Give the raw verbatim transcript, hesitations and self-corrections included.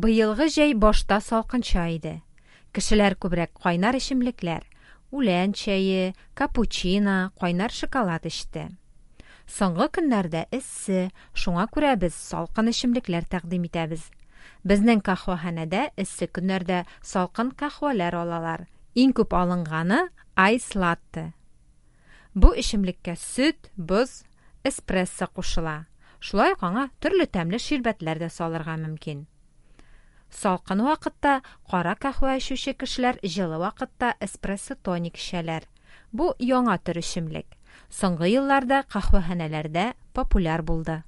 Быелгы җәй башта салкынча иде. Кешеләр күбрәк кайнар эчемлекләр: үлән чәе, капучино, кайнар шоколад эчте. Соңгы көннәрдә эссе, шуңа күрә без салкын эчемлекләр тәкъдим итәбез. Безнең каһвәханәдә эссе көннәрдә салкын каһвәләр алалар. Иң күп алынганы – айс латте. Бу эчемлеккә сөт, боз, эспрессо кушыла. Шулай ук аңа төрле тәмле ширбәтләр дә салырга мөмкин. Салкын вакытта кара каһвә эчүче кешеләр җылы вакытта эспрессо-тоник эчәләр. Бу яңа төр эчемлек. Соңгы елларда каһвәханәләрдә популяр булды.